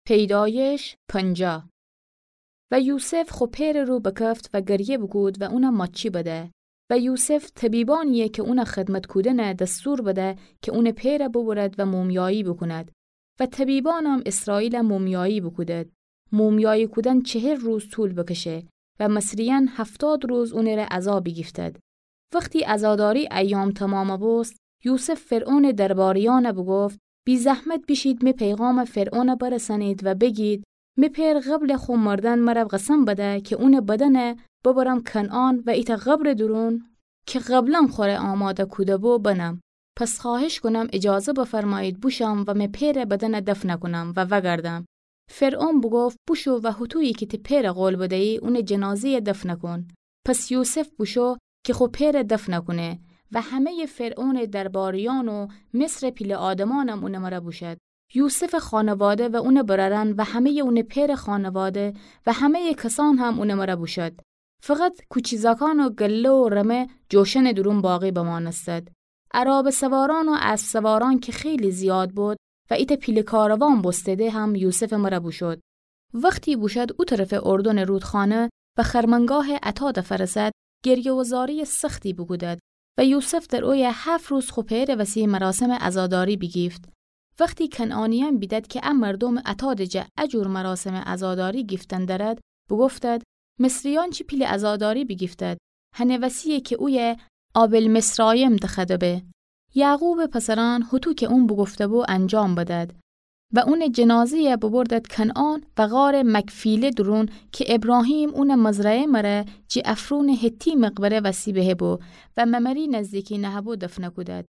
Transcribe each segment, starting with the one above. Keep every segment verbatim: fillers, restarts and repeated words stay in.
پیدایش پنجاه. و یوسف خو پئرٚ رو بکفت و گریه بوکود و اون ماچی بده. و یوسف طبیبانیی که اون خدمت کودنه دستور بده که اونٚ پئر ببرد و مومیایی بوکوند. و طبیبانم اسرائیل مومیایی بوکودد. مومیایی کودن چهل روز طول بکشه و مصریأن هفتاد روز اونٚره عزا بیگیفتد. وختی عزاداری ایام تمام بوست، یوسف فرعونٚ درباریأن بوگفت: بی‌زحمت بیشید می پیغام فرعون برسانید و بگید: می پئر قبلٚ خو مردن مر قسم بده که اونٚ بدن ببرم کنعان و ایتأ قبرٚ دورون که قبلا خوره آماده کوده بو بنم. پس خواهش کونم اجازه بفرمایید بوشم و می پئرٚ بدن دفن کونم و وگردم. فرعون بوگفت: بوشو و هوطویی که تی پئر قول بده‌یی، اونٚ جنازه‌ی دفن کون. پس یوسف بوشو که خو پئر دفن کونه و همه‌یٚ فرعونٚ درباریأن و مصرٚ پیله آدمأنم اونٚ مر بوشد. یوسفٚ خانواده و اونٚ برأرأن و همه‌یٚ اونٚ پئرٚ خانواده و همه‌یٚ کسأن هم اونٚ مر بوشد. فقط کوچی زاکان و گله و رمه جوشنٚ دورون باقی بمانستد. عرابه سوارأن و اسب سوارأن که خیلی زیاد بود و ایتأ پیله کاروان بوسته‌ده هم یوسفٚ مر بوشد. وختی بوشد او طرفٚ اردنٚ رودخانه و خرمنگاهٚ عتاد فرسد، گریه و زارییٚ سختی بوکودد و یوسف در اویه هفت روز خو پئرٚ وسی مراسمٚ عزاداری بیگیفت. وختی کنعانیأن بیدد که ا مردومٚ عتادٚ جا ا جور مراسمٚ عزاداری گیفتن درد، بوگفتد: مصریأن چی پیله عزاداری بیگیفتد، هنٚ وسییه که اویه آبل‌مصرایم دخوأده به. یعقوبٚ پسرأن هوطو که اون بوگفته بو انجام بدد. و اونٚ جنازه‌ی ببردد کنعان و غارٚ مکفیله دورون که ابراهیم اونٚ مزرعه مر جٚه افرونٚ حتی مقبره وسی بهه بو و ممری نزدیکی نهه بو دفن کودد.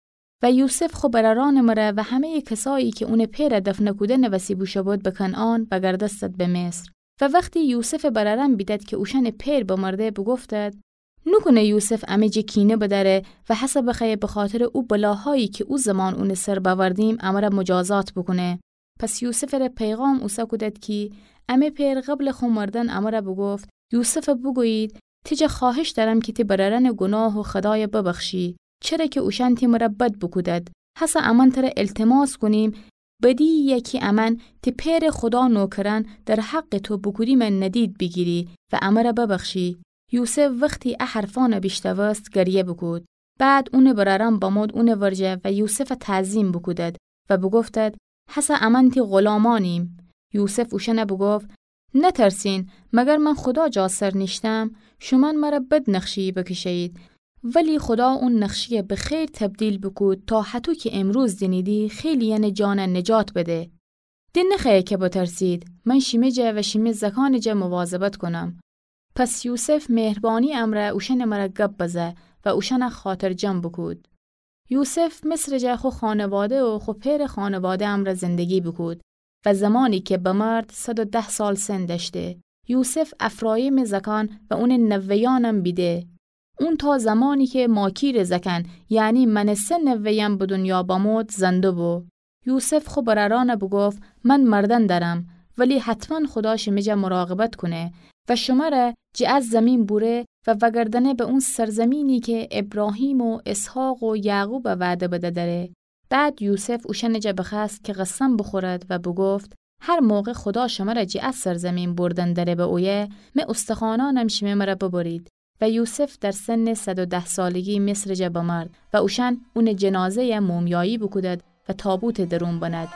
و یوسف خو برأرأنٚ مر و همه‌یٚ کسایی که اونٚ پئر دفن کودنٚ وسی بوشو بود به کنعان وگردستد به مصر. و وختی یوسفٚ برأرأن بیدد که اوشأنٚ پئر بمرده، بوگفتد: نوکونه یوسف امه جا کینه بدأره و هسه بخوأیه بخاطرٚ او بلاهایی که او زمان اونٚ سر بأوردیم امر مجازات بوکونه. پس یوسفٚ ره پیغام اوسه کودد کی امه پئر قبلٚ خو مردن امر بوگفت: یوسف بوگویید تی جا خواهش دأرم کی تی برأرأنٚ گوناه و خطای ببخشی، چره که اوشأن تی مر بد بوکودد. هسه امأن تر التماس کونیم بدییی کی امأن تی پئرٚ خدا نوکرأن در حقٚ تو بوکودیمه ندید بیگیری و امر ببخشی. یوسف وختی ا حرفأن بیشنوست گریه بوکود. بعد اونٚ برأرأن بمود اونٚ ورجه و یوسف تعظیم بوکودد و بوگفتد: هسه امأن تی غلامأنیم. یوسف اوشأن بوگفت: نترسین، مگر من خدا جا سر نیشتم؟ شومأن مر بد نقشه‌یی بکشه‌یید، ولی خدا اون نقشه‌ی به خیر تبدیل بوکود تا هطو که امروز دینیدی خیلی‌یأنٚ جان نجات بده. د نخوأیه که بترسید، من شیمه جا و شیمه زکانٚ جا مواظبت کونم. پس یوسف مهربانی امر اوشأنٚ مر گب بزه و اوشأن خاطرجم بوکود. یوسف مصرٚ جا خو خانواده و خو پئرٚ خانواده امر زندگی بوکود و زمانی که بمرد صد و ده سال سن دأشته. یوسف افرایمٚ زکان و اونٚ نوه‌یأنم بیده. اون تا زمانی که ماکیرٚ زکان، یعنی من سه نوه‌یم به دونیا بمود، زنده بو. یوسف خو برأرأن بوگفت: من مردن درم، ولی حتما خدا شیمه جا مراقبت کونه و شومأن ره جٚه ا زمین بوره و وگردأنه به اون سرزمینی که ابراهیم و اسحاق و یعقوب وعده بده دره. بعد یوسف اوشأنٚ جا بخوأست که قسم بوخورد و بوگفت: هر موقع خدا شمر جٚه ا سرزمین بردن دره به اویه، می استخوأنأنم شیمه مر ببرید. و یوسف در سنٚ صد و ده سالگی مصرٚ جا بمرد و اوشأن اونٚ جنازه‌ی مومیایی بوکودد و تابوتٚ درون بند.